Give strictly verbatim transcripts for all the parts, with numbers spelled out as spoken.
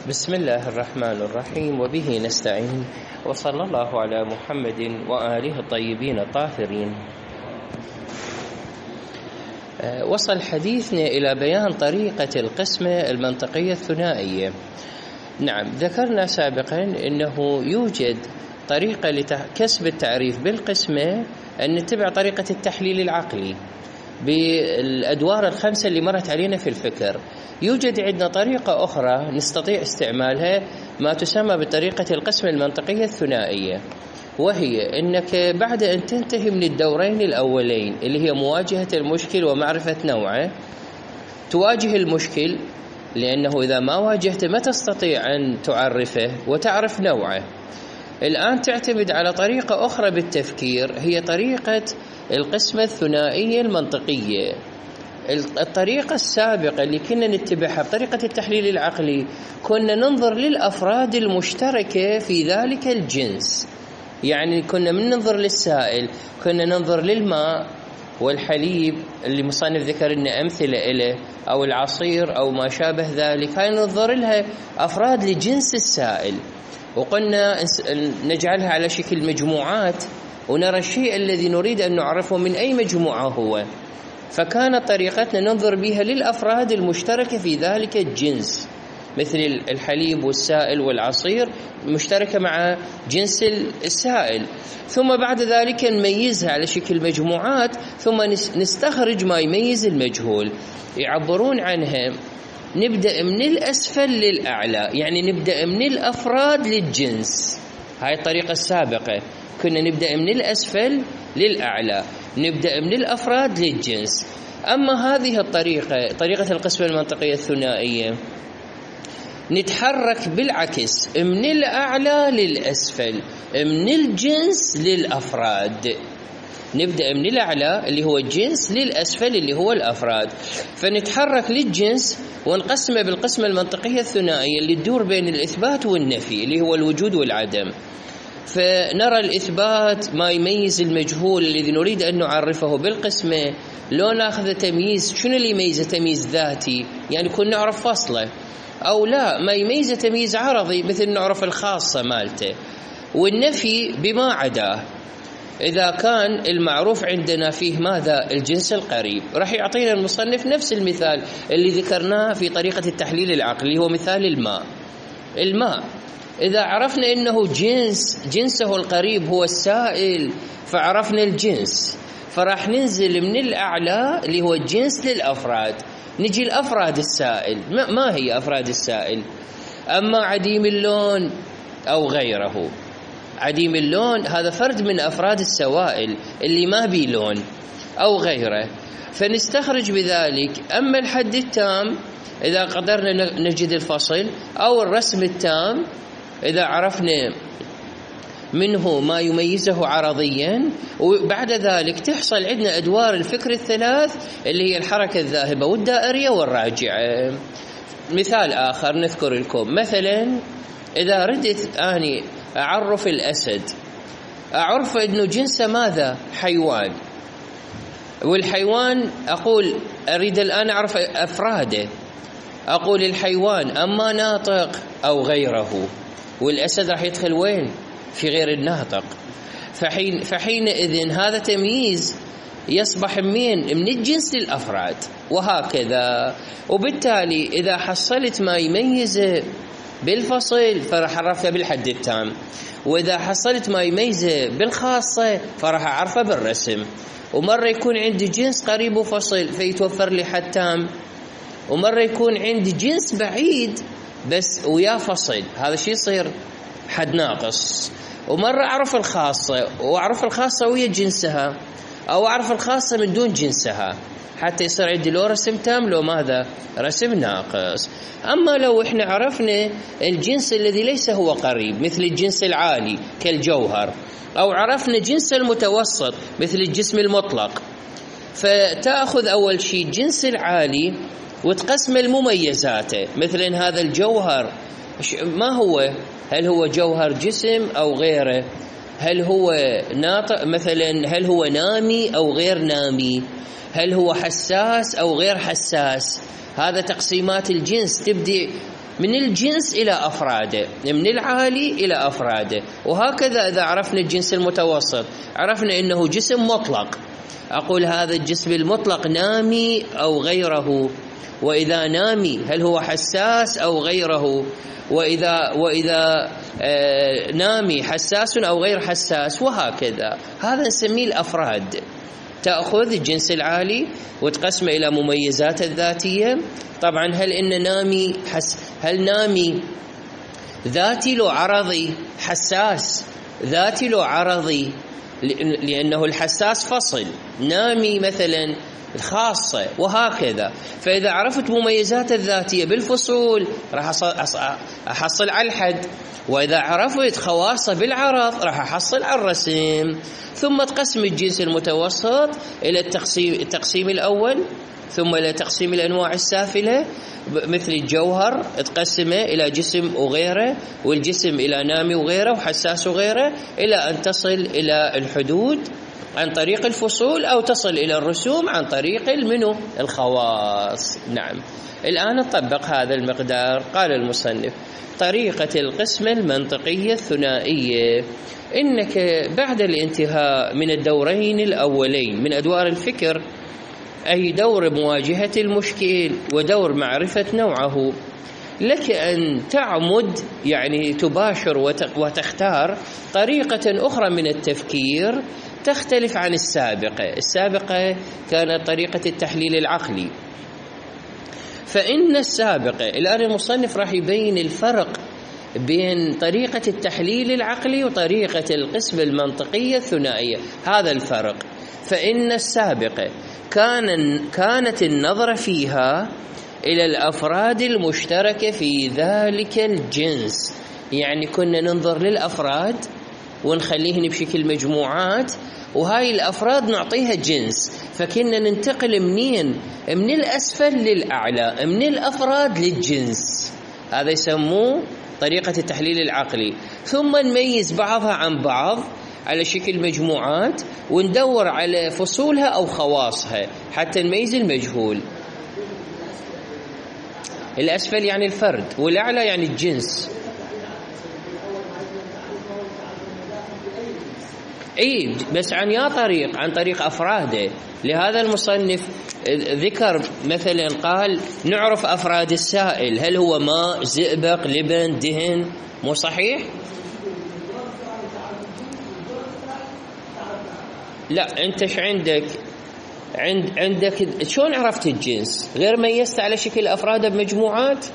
بسم الله الرحمن الرحيم وبه نستعين وصلى الله على محمد وآله الطيبين الطاهرين. وصل حديثنا إلى بيان طريقة القسمة المنطقية الثنائية. نعم، ذكرنا سابقا أنه يوجد طريقة لكسب التعريف بالقسمة أن نتبع طريقة التحليل العقلي بالأدوار الخمسة اللي مرت علينا في الفكر. يوجد عندنا طريقة أخرى نستطيع استعمالها ما تسمى بطريقة القسمة المنطقية الثنائية، وهي أنك بعد أن تنتهي من الدورين الأولين اللي هي مواجهة المشكل ومعرفة نوعه، تواجه المشكل، لأنه إذا ما واجهته ما تستطيع أن تعرفه وتعرف نوعه. الآن تعتمد على طريقة أخرى بالتفكير، هي طريقة القسمة الثنائية المنطقية. الطريقة السابقة اللي كنا نتبعها بطريقة التحليل العقلي كنا ننظر للأفراد المشتركة في ذلك الجنس، يعني كنا من ننظر للسائل كنا ننظر للماء والحليب اللي مصنف ذكر لنا أمثلة إله، أو العصير أو ما شابه ذلك، هاي ننظر لها أفراد لجنس السائل، وقلنا نجعلها على شكل مجموعات ونرى الشيء الذي نريد أن نعرفه من أي مجموعة هو. فكانت طريقتنا ننظر بها للأفراد المشتركة في ذلك الجنس، مثل الحليب والسائل والعصير مشتركة مع جنس السائل، ثم بعد ذلك نميزها على شكل مجموعات، ثم نستخرج ما يميز المجهول. يعبرون عنها نبدأ من الأسفل للأعلى، يعني نبدأ من الأفراد للجنس. هاي الطريقة السابقة كنا نبدأ من الأسفل للأعلى، نبدأ من الأفراد للجنس. أما هذه الطريقة طريقة القسمة المنطقية الثنائية نتحرك بالعكس، من الأعلى للأسفل، من الجنس للأفراد. نبدأ من الأعلى اللي هو الجنس للأسفل اللي هو الأفراد، فنتحرك للجنس ونقسمه بالقسمة المنطقية الثنائية اللي تدور بين الإثبات والنفي اللي هو الوجود والعدم. فنرى الإثبات ما يميز المجهول الذي نريد أن نعرفه بالقسمة، لو ناخذ تمييز شنو اللي يميزه؟ تمييز ذاتي، يعني كنا نعرف فصله، أو لا ما يميزه تمييز عرضي مثل نعرف الخاصة مالته. والنفي بما عداه، إذا كان المعروف عندنا فيه ماذا؟ الجنس القريب. راح يعطينا المصنف نفس المثال اللي ذكرناه في طريقة التحليل العقلي، هو مثال الماء. الماء إذا عرفنا إنه جنس، جنسه القريب هو السائل، فعرفنا الجنس، فراح ننزل من الأعلى اللي هو الجنس للأفراد، نجي الأفراد السائل. ما هي أفراد السائل؟ أما عديم اللون أو غيره. عديم اللون هذا فرد من أفراد السوائل اللي ما بي لون أو غيره، فنستخرج بذلك. أما الحد التام إذا قدرنا نجد الفصل، أو الرسم التام إذا عرفنا منه ما يميزه عرضيا، وبعد ذلك تحصل عندنا أدوار الفكر الثلاث اللي هي الحركة الذاهبة والدائرية والراجعة. مثال آخر نذكر لكم، مثلا إذا ردت أني أعرف الأسد، أعرف أنه جنسه ماذا؟ حيوان، والحيوان أقول أريد الآن أعرف أفراده، أقول الحيوان أما ناطق أو غيره، والأسد راح يدخل وين؟ في غير الناطق. فحين فحينئذ هذا تمييز يصبح من من الجنس للأفراد، وهكذا. وبالتالي إذا حصلت ما يميزه بالفصل فراح أعرفه بالحد التام، وإذا حصلت ما يميزه بالخاصة فراح أعرفه بالرسم. ومرة يكون عندي جنس قريب وفصل فيتوفر لي حد تام، ومرة يكون عندي جنس بعيد بس ويا فصل، هذا شيء يصير حد ناقص. ومرة أعرف الخاصة وأعرف الخاصة ويا جنسها، أو أعرف الخاصة من دون جنسها، حتى يصير عندي لو رسم تام لو ماذا؟ رسم ناقص. أما لو إحنا عرفنا الجنس الذي ليس هو قريب مثل الجنس العالي كالجوهر، أو عرفنا جنس المتوسط مثل الجسم المطلق، فتأخذ أول شيء الجنس العالي وتقسم المميزاته. مثلا هذا الجوهر ما هو؟ هل هو جوهر جسم أو غيره؟ هل هو ناطق مثلا؟ هل هو نامي أو غير نامي؟ هل هو حساس أو غير حساس؟ هذا تقسيمات الجنس تبدي من الجنس إلى أفراده، من العالي إلى أفراده. وهكذا إذا عرفنا الجنس المتوسط عرفنا أنه جسم مطلق، أقول هذا الجسم المطلق نامي أو غيره، وإذا نامي هل هو حساس أو غيره، وإذا, وإذا آه نامي حساس أو غير حساس، وهكذا. هذا نسميه الأفراد. تأخذ الجنس العالي وتقسمه إلى مميزات الذاتية. طبعا هل إن نامي حس هل نامي ذاتي لو عرضي؟ حساس ذاتي لو عرضي، لأنه الحساس فصل، نامي مثلا خاصة، وهكذا. فإذا عرفت مميزات الذاتية بالفصول راح أحصل على الحد، وإذا عرفت خواصه بالعرض راح أحصل على الرسم. ثم تقسم الجنس المتوسط إلى التقسيم, التقسيم الأول، ثم إلى تقسيم الأنواع السافلة مثل الجوهر، تقسمه إلى جسم وغيره، والجسم إلى نامي وغيره، وحساس وغيره، إلى أن تصل إلى الحدود عن طريق الفصول، أو تصل إلى الرسوم عن طريق المنو الخواص. نعم، الآن نطبق هذا المقدار. قال المصنف: طريقة القسمة المنطقية الثنائية. إنك بعد الانتهاء من الدورين الأولين من أدوار الفكر، أي دور مواجهة المشكل ودور معرفة نوعه، لك أن تعمد يعني تباشر وتختار طريقة أخرى من التفكير تختلف عن السابقة. السابقة كانت طريقة التحليل العقلي. فإن السابقة، الآن المصنف راح يبين الفرق بين طريقة التحليل العقلي وطريقة القسمة المنطقية الثنائية. هذا الفرق. فإن السابقة كان كانت النظرة فيها إلى الأفراد المشتركة في ذلك الجنس، يعني كنا ننظر للأفراد ونخليهن بشكل مجموعات، وهاي الأفراد نعطيها جنس. فكنا ننتقل منين؟ من الأسفل للأعلى، من الأفراد للجنس. هذا يسموه طريقة التحليل العقلي. ثم نميز بعضها عن بعض على شكل مجموعات، وندور على فصولها أو خواصها حتى نميز المجهول. الأسفل يعني الفرد، والأعلى يعني الجنس. اي بس عن يا طريق، عن طريق افراده. لهذا المصنف ذكر مثلا قال نعرف افراد السائل، هل هو ماء، زئبق، لبن، دهن؟ مو صحيح؟ لا، انت ايش عندك؟ عند عندك شلون عرفت الجنس؟ غير ميزت على شكل افراده بمجموعات.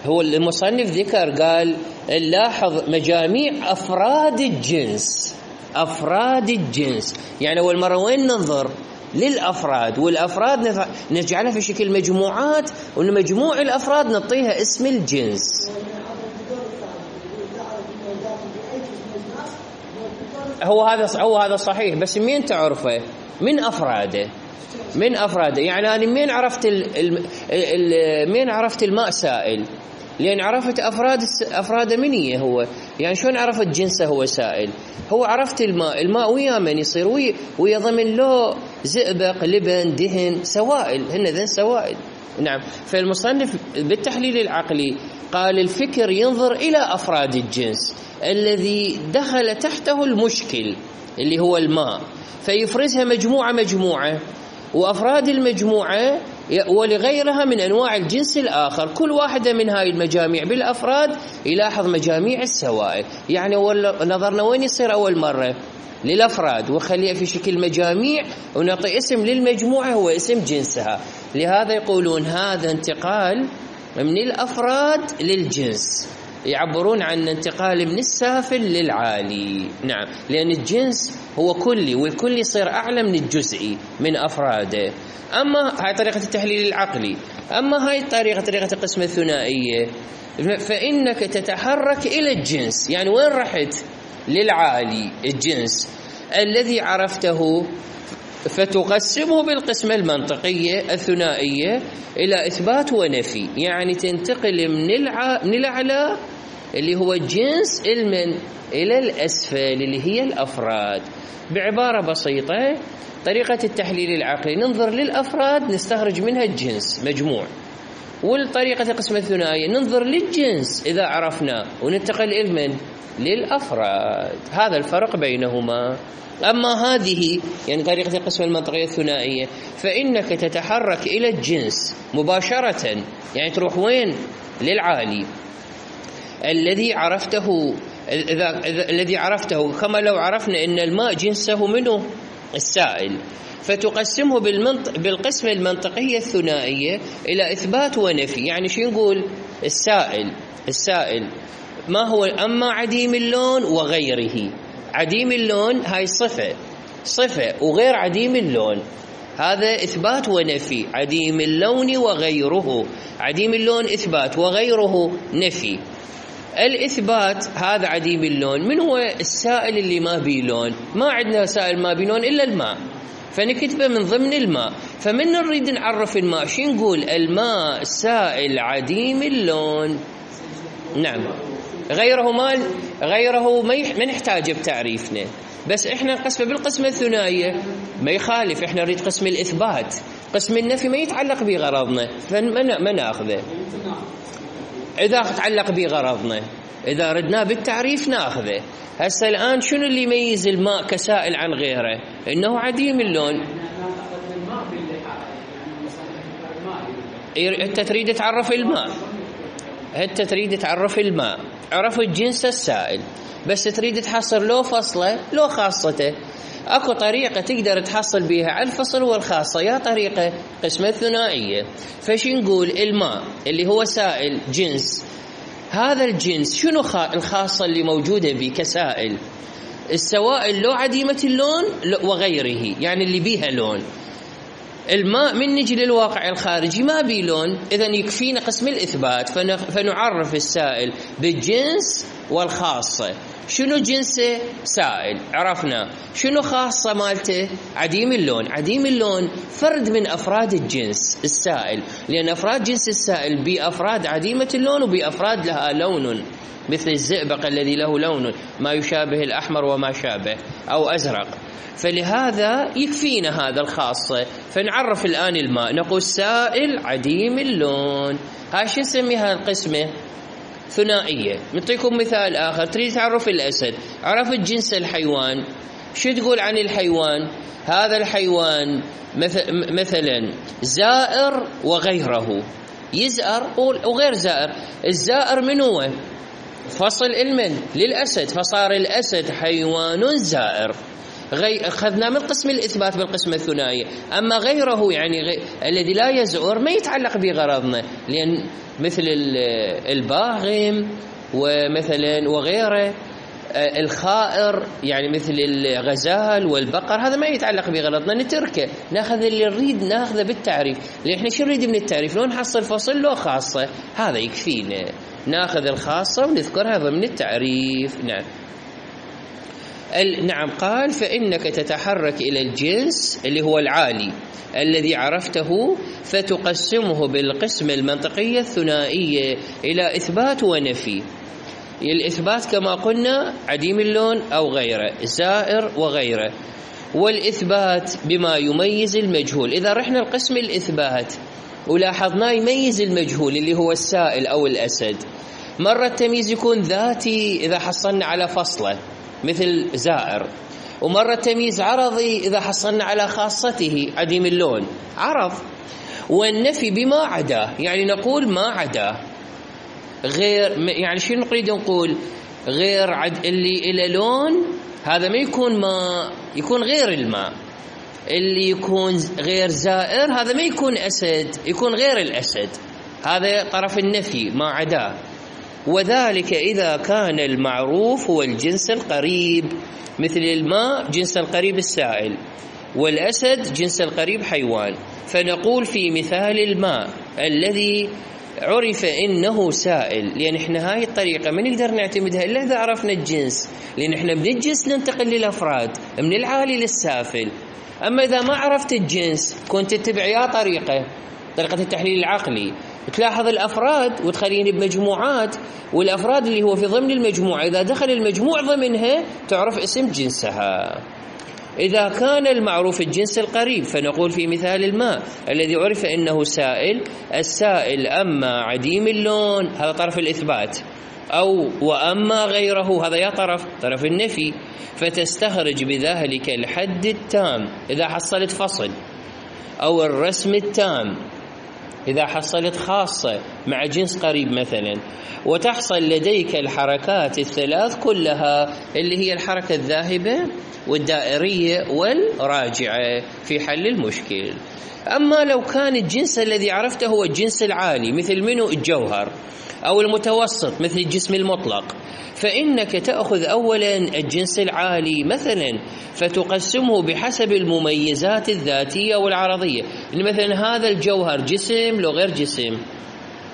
هو المصنف ذكر قال نلاحظ مجاميع افراد الجنس. أفراد الجنس يعني أول مرة وين ننظر؟ للأفراد، والأفراد نجعلها في شكل مجموعات، ومجموع الأفراد نعطيها اسم الجنس. هو هذا هو هذا صحيح، بس مين تعرفه؟ من أفراده، من أفراده. يعني أنا مين عرفت ال ال ال مين عرفت الماء سائل؟ لأن عرفت أفراد أفراده منية هو، يعني شلون عرفت جنسه هو سائل؟ هو عرفت الماء، الماء ويا من يصير ويا, ويا ضمن له زئبق، لبن، دهن، سوائل، هن ذن سوائل. نعم. فالمصنف بالتحليل العقلي قال الفكر ينظر إلى أفراد الجنس الذي دخل تحته المشكل اللي هو الماء، فيفرزها مجموعة مجموعة، وأفراد المجموعة ولغيرها من أنواع الجنس الآخر، كل واحدة من هاي المجاميع بالأفراد يلاحظ مجاميع السوائل. يعني نظرنا وين يصير أول مرة؟ للأفراد، وخليها في شكل مجاميع، ونعطي اسم للمجموعة هو اسم جنسها. لهذا يقولون هذا انتقال من الأفراد للجنس، يعبرون عن انتقال من السافل للعالي. نعم، لأن الجنس هو كلي، والكل يصير أعلى من الجزئي من أفراده. أما هاي طريقة التحليل العقلي. أما هاي الطريقة طريقة القسمة الثنائية، فإنك تتحرك إلى الجنس. يعني وين رحت؟ للعالي، الجنس الذي عرفته، فتقسمه بالقسمة المنطقية الثنائية إلى إثبات ونفي. يعني تنتقل من الع... من الأعلى اللي هو الجنس المن إلى الأسفل اللي هي الأفراد. بعبارة بسيطة، طريقة التحليل العقلي ننظر للأفراد نستخرج منها الجنس مجموع، والطريقة القسمة الثنائية ننظر للجنس إذا عرفنا وننتقل إلى من؟ للأفراد. هذا الفرق بينهما. أما هذه يعني طريقة القسمة المنطقية الثنائية فإنك تتحرك إلى الجنس مباشرة، يعني تروح وين؟ للعالي الذي عرفته، إذا الذي عرفته كما لو عرفنا أن الماء جنسه منه السائل، فتقسمه بالمنطق بالقسمة المنطقية الثنائية إلى إثبات ونفي. يعني شو نقول؟ السائل السائل ما هو؟ أما عديم اللون وغيره. عديم اللون هاي صفة صفة وغير عديم اللون هذا إثبات ونفي. عديم اللون وغيره، عديم اللون إثبات وغيره نفي. الإثبات هذا عديم اللون، من هو السائل اللي ما بيه لون؟ ما عندنا سائل ما بيه لون إلا الماء، فنكتبه من ضمن الماء. فمن نريد نعرف الماء شو نقول؟ الماء سائل عديم اللون. نعم، غيره ما غيره ما نحتاج بتعريفنا، بس احنا نقسمه بالقسمة الثنائية ما يخالف. احنا نريد قسم الإثبات، قسم النفي ما يتعلق بغرضنا فما ناخذه. إذا تعلق بغرضنا إذا ردنا بالتعريف ناخذه. هسه الآن شنو اللي يميز الماء كسائل عن غيره؟ إنه عديم اللون. أنت تريد تعرف الماء، أنت تريد تعرف الماء، عرفت جنس السائل، بس تريد تحصل له فصله له خاصته. اكو طريقة تقدر تحصل بها على الفصل والخاصة، يا طريقة قسمة ثنائية. فش نقول؟ الماء اللي هو سائل جنس، هذا الجنس شنو الخاصة اللي موجودة به كسائل؟ السوائل لو عديمة اللون وغيره، يعني اللي بيها لون. الماء من نجي للواقع الخارجي ما بيه لون، إذن يكفينا قسم الإثبات فنعرف السائل بالجنس والخاصة. شنو جنسه؟ سائل، عرفنا. شنو خاصة مالته؟ عديم اللون. عديم اللون فرد من أفراد الجنس السائل، لأن أفراد جنس السائل بأفراد عديمة اللون وبأفراد لها لون، مثل الزئبق الذي له لون ما يشابه الأحمر وما شابه أو أزرق. فلهذا يكفينا هذا الخاصة. فنعرف الآن الماء، نقول سائل عديم اللون. هاي شو نسميها؟ القسمة ثنائية. نعطيكم مثال آخر. تريد تعرف الأسد، عرفت جنس الحيوان، شو تقول عن الحيوان؟ هذا الحيوان مثلا زائر وغيره، يزأر وغير زائر. الزائر من هو؟ فصل المن للأسد، فصار الأسد حيوان زائر. غي... أخذنا من قسم الإثبات بالقسمة الثنائية. أما غيره يعني غي... الذي لا يزعر ما يتعلق بغرضنا، لأن مثل الباغم ومثلا وغيره، الخائر يعني مثل الغزال والبقر، هذا ما يتعلق بغرضنا نتركه، ناخذ اللي نريد ناخذه بالتعريف. لأن احنا شو نريد من التعريف؟ لو نحصل فصل له خاصة هذا يكفينا، ناخذ الخاصة ونذكرها ضمن التعريف. نعم. نعم. قال فإنك تتحرك إلى الجنس اللي هو العالي الذي عرفته فتقسمه بالقسمة المنطقية الثنائية إلى إثبات ونفي. الإثبات كما قلنا عديم اللون أو غيره، زائر وغيره. والإثبات بما يميز المجهول. إذا رحنا القسم الإثبات ولاحظنا يميز المجهول اللي هو السائل أو الأسد. مرة التمييز يكون ذاتي إذا حصلنا على فصله مثل زائر، ومرة تمييز عرضي إذا حصلنا على خاصته عديم اللون عرض. والنفي بما عدا، يعني نقول ما عدا غير، يعني شو نريد نقول؟ غير عد اللي إلى لون هذا ما يكون ماء، يكون غير الماء. اللي يكون غير زائر هذا ما يكون أسد، يكون غير الأسد. هذا طرف النفي ما عدا. وذلك إذا كان المعروف هو الجنس القريب، مثل الماء جنس القريب السائل، والأسد جنس القريب حيوان. فنقول في مثال الماء الذي عرف إنه سائل، لأن إحنا هاي الطريقة ما نقدر نعتمدها إلا إذا عرفنا الجنس، لأن إحنا من الجنس ننتقل للأفراد، من العالي للسافل. أما إذا ما عرفت الجنس كنت تتبع يا طريقة طريقة التحليل العقلي، تلاحظ الأفراد وتخليني بمجموعات، والأفراد اللي هو في ضمن المجموعة إذا دخل المجموع ضمنها تعرف اسم جنسها. إذا كان المعروف الجنس القريب فنقول في مثال الماء الذي عرف أنه سائل، السائل أما عديم اللون هذا طرف الإثبات، أو وأما غيره هذا يا طرف طرف النفي، فتستخرج بذلك الحد التام إذا حصلت فصل، أو الرسم التام إذا حصلت خاصة مع جنس قريب مثلا، وتحصل لديك الحركات الثلاث كلها اللي هي الحركة الذاهبة والدائرية والراجعة في حل المشكل. أما لو كان الجنس الذي عرفته هو الجنس العالي مثل منه الجوهر، أو المتوسط مثل الجسم المطلق، فإنك تأخذ أولا الجنس العالي مثلا فتقسمه بحسب المميزات الذاتية والعرضية، مثلا هذا الجوهر جسم لو غير جسم،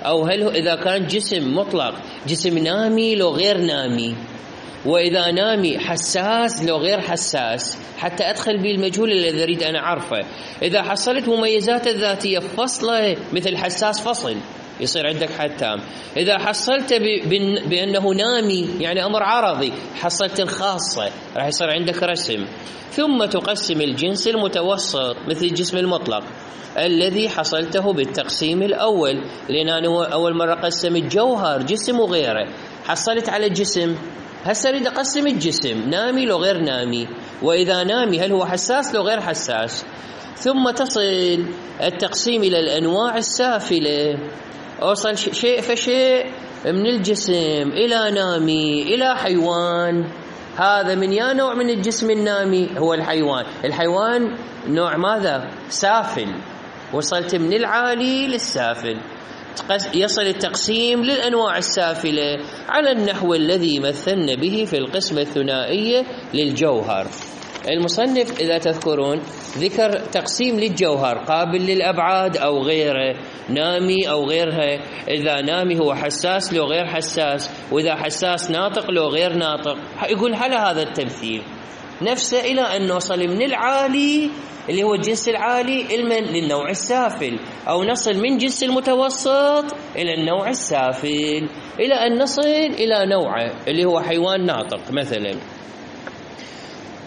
أو هل إذا كان جسم مطلق جسم نامي لو غير نامي، وإذا نامي حساس لو غير حساس، حتى أدخل به المجهول الذي أريد أن أعرفه. إذا حصلت مميزات الذاتية فصلة مثل حساس فصل يصير عندك حد تام. إذا حصلت بأنه نامي يعني أمر عرضي حصلت الخاصة راح يصير عندك رسم. ثم تقسم الجنس المتوسط مثل الجسم المطلق الذي حصلته بالتقسيم الأول، لأن أنا أول مرة قسم الجوهر جسم وغيره، حصلت على الجسم، هسه أريد أقسم الجسم نامي لو غير نامي، وإذا نامي هل هو حساس لو غير حساس. ثم تصل التقسيم إلى الأنواع السافلة، أوصل شيء فشيء من الجسم إلى نامي إلى حيوان، هذا من يا نوع من الجسم النامي هو الحيوان، الحيوان نوع ماذا؟ سافل، وصلت من العالي للسافل. يصل التقسيم للأنواع السافلة على النحو الذي مثلنا به في القسمة الثنائية للجوهر. المصنف إذا تذكرون ذكر تقسيم للجوهر قابل للأبعاد أو غيره، نامي أو غيرها، إذا نامي هو حساس لو غير حساس، وإذا حساس ناطق لو غير ناطق. يقول هل هذا التمثيل نفسه إلى أن نوصل من العالي اللي هو الجنس العالي للنوع السافل، أو نصل من جنس المتوسط إلى النوع السافل إلى أن نصل إلى نوعه اللي هو حيوان ناطق مثلا.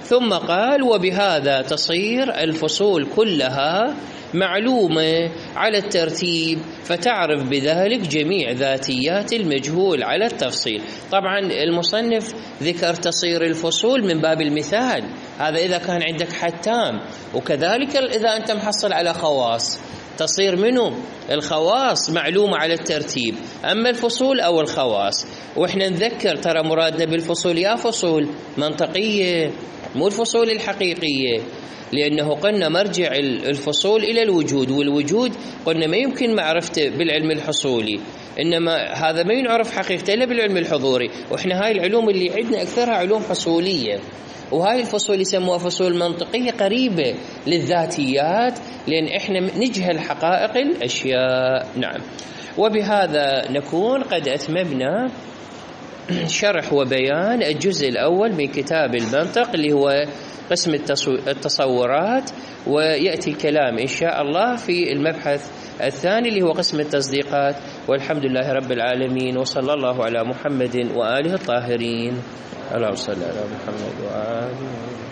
ثم قال وبهذا تصير الفصول كلها معلومة على الترتيب، فتعرف بذلك جميع ذاتيات المجهول على التفصيل. طبعا المصنف ذكر تصير الفصول من باب المثال، هذا إذا كان عندك حد تام، وكذلك إذا أنت محصل على خواص تصير منه الخواص معلومة على الترتيب، أما الفصول أو الخواص. وإحنا نذكر ترى مرادنا بالفصول يا فصول منطقية مو الفصول الحقيقية، لأنه قلنا مرجع الفصول إلى الوجود، والوجود قلنا ما يمكن معرفته بالعلم الحصولي، إنما هذا ما ينعرف حقيقته إلا بالعلم الحضوري. وإحنا هاي العلوم اللي عندنا أكثرها علوم حصولية، وهاي الفصول يسموها فصول منطقية قريبة للذاتيات، لأن إحنا نجهل حقائق الأشياء. نعم. وبهذا نكون قد أتممنا شرح وبيان الجزء الأول من كتاب المنطق اللي هو قسم التصورات، ويأتي الكلام إن شاء الله في المبحث الثاني اللي هو قسم التصديقات. والحمد لله رب العالمين، وصلى الله على محمد وآله الطاهرين. اللهم صل على محمد وآله